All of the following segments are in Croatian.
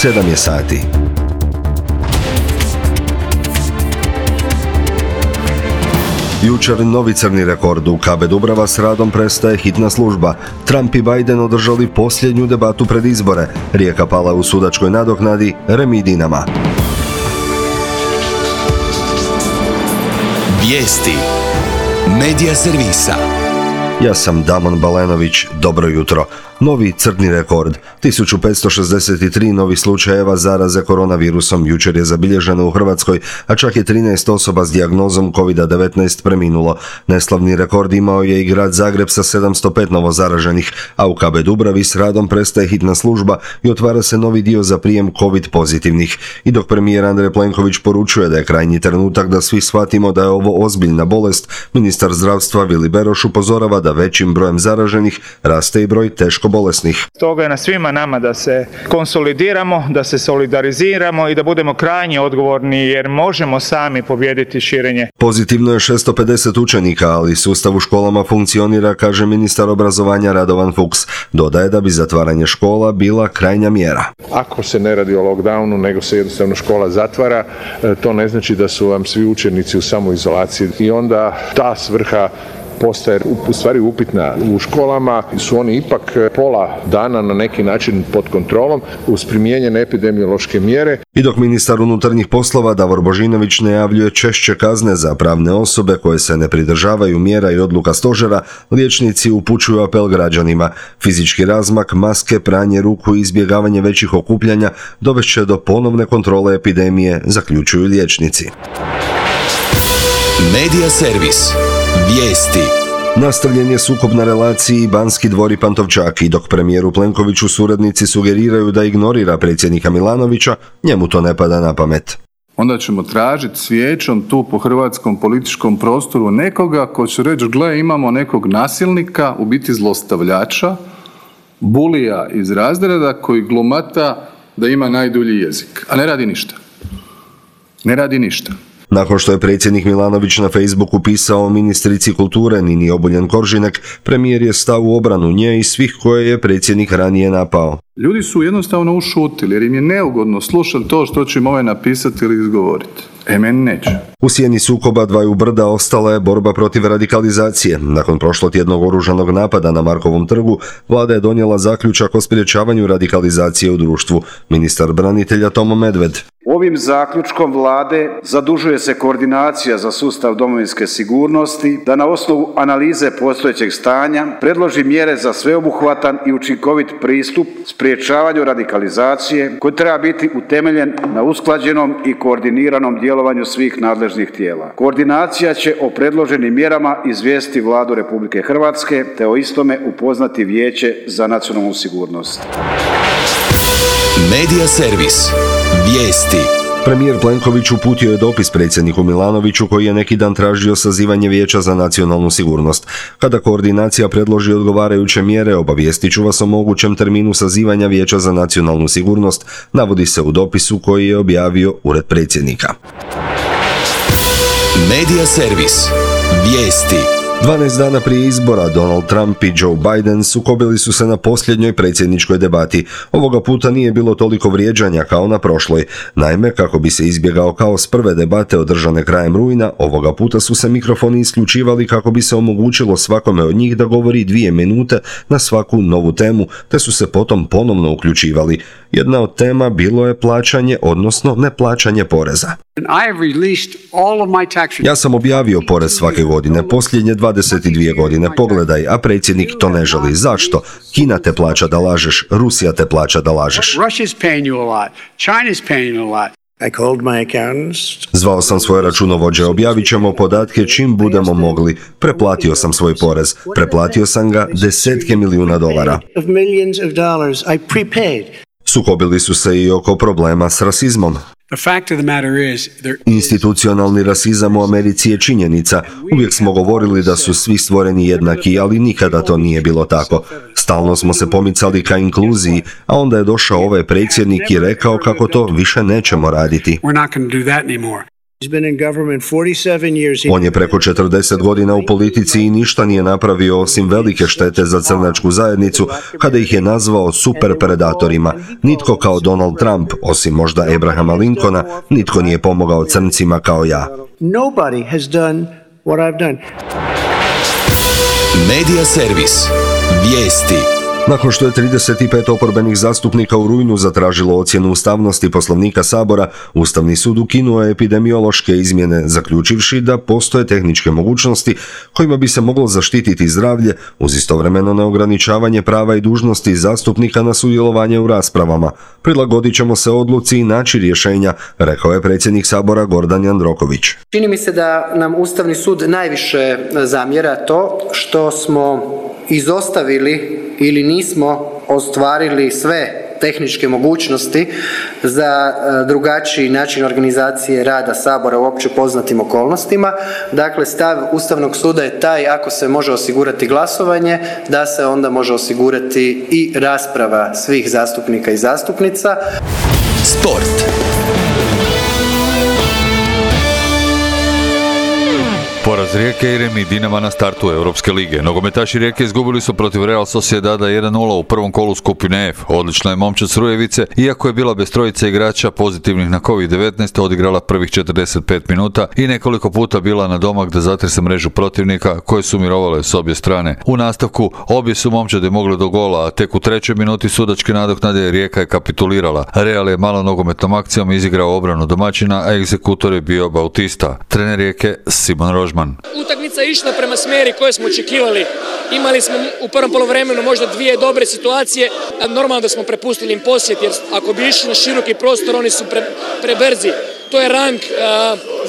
7 je sati. Jučer novi crni rekord. U KB Dubrava s radom prestaje hitna služba. Trump i Biden održali posljednju debatu pred izbore. Rijeka pala u sudačkoj nadoknadi, remi Dinama. Vijesti Medija servisa. Ja sam Damon Balenović, dobro jutro. Novi crni rekord. 1563 novih slučajeva zaraze koronavirusom jučer je zabilježeno u Hrvatskoj, a čak je 13 osoba s dijagnozom COVID-19 preminulo. Neslavni rekord imao je i grad Zagreb sa 705 novo zaraženih, a u KB Dubravi s radom prestaje hitna služba i otvara se novi dio za prijem COVID pozitivnih. I dok premijer Andrej Plenković poručuje da je krajnji trenutak da svi shvatimo da je ovo ozbiljna bolest, ministar zdravstva Vili Beroš upozorava da većim brojem zaraženih raste i broj teško bolesnih. Stoga je na svima nama da se konsolidiramo, da se solidariziramo i da budemo krajnje odgovorni jer možemo sami pobijediti širenje. Pozitivno je 650 učenika, ali sustav u školama funkcionira, kaže ministar obrazovanja Radovan Fuchs. Dodaje da bi zatvaranje škola bila krajnja mjera. Ako se ne radi o lockdownu, nego se jednostavno škola zatvara, to ne znači da su vam svi učenici u samoizolaciji i onda ta svrha postaje u stvari upitna. U školama su oni ipak pola dana na neki način pod kontrolom uz primijenjene epidemiološke mjere. I dok ministar unutarnjih poslova Davor Božinović najavljuje češće kazne za pravne osobe koje se ne pridržavaju mjera i odluka stožera, liječnici upućuju apel građanima. Fizički razmak, maske, pranje ruku i izbjegavanje većih okupljanja dovest će do ponovne kontrole epidemije, zaključuju liječnici. Medija servis. Vijesti. Nastavljen je sukob na relaciji Banski dvor i Pantovčak i dok premijeru Plenkoviću suradnici sugeriraju da ignorira predsjednika Milanovića, njemu to ne pada na pamet. Onda ćemo tražiti svijećom tu po hrvatskom političkom prostoru nekoga ko će reći, gle, imamo nekog nasilnika, u biti zlostavljača, bulija iz razreda koji glumata da ima najdulji jezik, a ne radi ništa. Ne radi ništa. Nakon što je predsjednik Milanović na Facebooku pisao ministrici kulture Nini Obuljen Koržinek, premijer je stao u obranu nje i svih koje je predsjednik ranije napao. Ljudi su jednostavno ušutili jer im je neugodno slušati to što će im ovaj napisati ili izgovoriti. Meni neće. U sjeni sukoba dvaju brda ostala je borba protiv radikalizacije. Nakon prošlotjednog oružanog napada na Markovom trgu, vlada je donijela zaključak o sprječavanju radikalizacije u društvu. Ministar branitelja Tomo Medved. Ovim zaključkom vlade zadužuje se koordinacija za sustav domovinske sigurnosti da na osnovu analize postojećeg stanja predloži mjere za sveobuhvatan i učinkovit pristup sprječavanju radikalizacije koji treba biti utemeljen na usklađenom i koordiniranom djelovanju svih nadležnih tijela. Koordinacija će o predloženim mjerama izvijestiti Vladu Republike Hrvatske te o istome upoznati Vijeće za nacionalnu sigurnost. Medija servis. Vijesti. Premijer Plenković uputio je dopis predsjedniku Milanoviću koji je neki dan tražio sazivanje Vijeća za nacionalnu sigurnost. Kada koordinacija predloži odgovarajuće mjere, obavijestit ću vas o mogućem terminu sazivanja Vijeća za nacionalnu sigurnost, navodi se u dopisu koji je objavio Ured predsjednika. Medija servis. Vijesti. 12 dana prije izbora Donald Trump i Joe Biden sukobili su se na posljednjoj predsjedničkoj debati. Ovoga puta nije bilo toliko vrijeđanja kao na prošloj. Naime, kako bi se izbjegao kaos prve debate održane krajem rujna, ovoga puta su se mikrofoni isključivali kako bi se omogućilo svakome od njih da govori 2 minute na svaku novu temu, te su se potom ponovno uključivali. Jedna od tema bilo je plaćanje, odnosno neplaćanje poreza. Ja sam objavio porez svake godine, posljednje 22 godine, pogledaj, a predsjednik to ne želi. Zašto? Kina te plaća da lažeš, Rusija te plaća da lažeš. Zvao sam svoje računovođe, objavit ćemo podatke čim budemo mogli. Preplatio sam svoj porez. Preplatio sam ga $10 milijuna. Sukobili su se i oko problema s rasizmom. Institucionalni rasizam u Americi je činjenica. Uvijek smo govorili da su svi stvoreni jednaki, ali nikada to nije bilo tako. Stalno smo se pomicali ka inkluziji, a onda je došao ovaj predsjednik i rekao kako to više nećemo raditi. On je preko 40 godina u politici i ništa nije napravio osim velike štete za crnačku zajednicu kada ih je nazvao super predatorima. Nitko kao Donald Trump, osim možda Abrahama Lincolna, nitko nije pomogao crncima kao ja. Medija servis. Vijesti. Nakon što je 35 oporbenih zastupnika u rujnu zatražilo ocjenu ustavnosti Poslovnika Sabora, Ustavni sud ukinuo je epidemiološke izmjene, zaključivši da postoje tehničke mogućnosti kojima bi se moglo zaštititi zdravlje uz istovremeno neograničavanje prava i dužnosti zastupnika na sudjelovanje u raspravama. Prilagodit ćemo se odluci i naći rješenja, rekao je predsjednik Sabora Gordan Jandroković. Čini mi se da nam Ustavni sud najviše zamjera to što smo izostavili ili nismo ostvarili sve tehničke mogućnosti za drugačiji način organizacije rada Sabora u opće poznatim okolnostima. Dakle, stav Ustavnog suda je taj, ako se može osigurati glasovanje, da se onda može osigurati i rasprava svih zastupnika i zastupnica. Sport. Poraz Rijeke i remi Dinama na startu Europske lige. Nogometaši Rijeke izgubili su protiv Real Sociedada 1-0 u prvom kolu skupine F. Odlična je momčad s Rujevice, iako je bila bez trojice igrača pozitivnih na COVID-19, odigrala prvih 45 minuta i nekoliko puta bila na domak da zatrese mrežu protivnika koje su mirovale s obje strane. U nastavku obje su momčade mogle do gola, a tek u trećoj minuti sudačke nadoknade Rijeka je kapitulirala. Real je malo nogometnom akcijom izigrao obranu domaćina, a egzekutor je bio Bautista. Trener Rijeke Simon Rožman. Utakmica je išla prema smjeri koje smo očekivali. Imali smo u prvom poluvremenu možda dvije dobre situacije. Normalno da smo prepustili im posjed, jer ako bi išli na široki prostor, oni su prebrzi. To je rang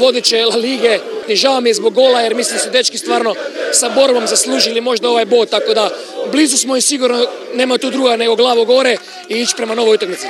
vodeće La Lige. Žao mi je zbog gola, jer mislim da su dečki stvarno sa borbom zaslužili možda ovaj bod, tako da blizu smo i sigurno nema tu druga nego glavu gore i ići prema novoj utakmici.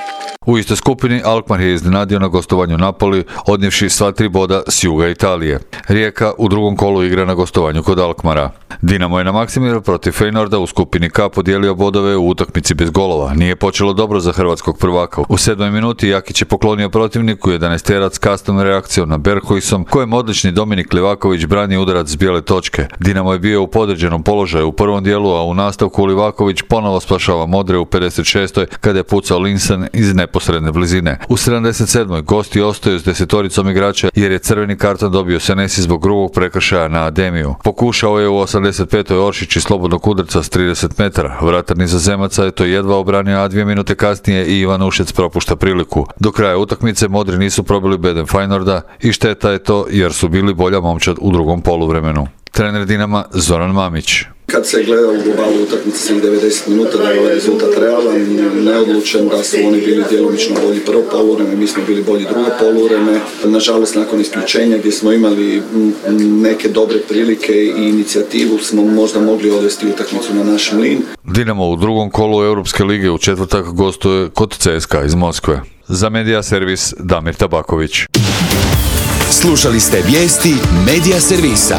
U istoj skupini Alkmaar je iznenadio na gostovanju Napoli, odnijevši sva 3 boda s juga Italije. Rijeka u drugom kolu igra na gostovanju kod Alkmaara. Dinamo je na Maksimiru protiv Feynorda u skupini K podijelio bodove u utakmici bez golova. Nije počelo dobro za hrvatskog prvaka. U 7. minuti Jakić je poklonio protivniku 11-terac kastom reakcijom na Berghuisom, kojem odlični Dominik Livaković brani udarac s bijele točke. Dinamo je bio u podređenom položaju u prvom dijelu, a u nastavku Livaković ponovo spašava Modre u 56. kada je pucao Linsen iz neposredne blizine. U 77. gosti ostaju s 10 igrača jer je crveni karton dobio Senesi zbog grubog prekršaja na Ademiju. Pokušao je u 85. Oršić iz slobodnog udarca s 30 metara. Vratar nizozemaca je to jedva obranio, a 2 minute kasnije i Ivan Ušec propušta priliku. Do kraja utakmice Modri nisu probili bedem Feynorda i šteta je to jer su bili bolja momčad u drugom poluvremenu. Trener Dinama Zoran Mamić. Kad se gleda u globalu utakmice svih 90 minuta, da je ovaj rezultat realan, neodlučen, da su oni bili djelomično bolji prvo poluvreme, mi smo bili bolji drugo poluvreme. Nažalost, nakon isključenja gdje smo imali neke dobre prilike i inicijativu, smo možda mogli odvesti utakmicu na naš mlin. Dinamo u drugom kolu Europske lige u četvrtak gostuje kod CSKA iz Moskve. Za Medija servis Damir Tabaković. Slušali ste vijesti Medija servisa.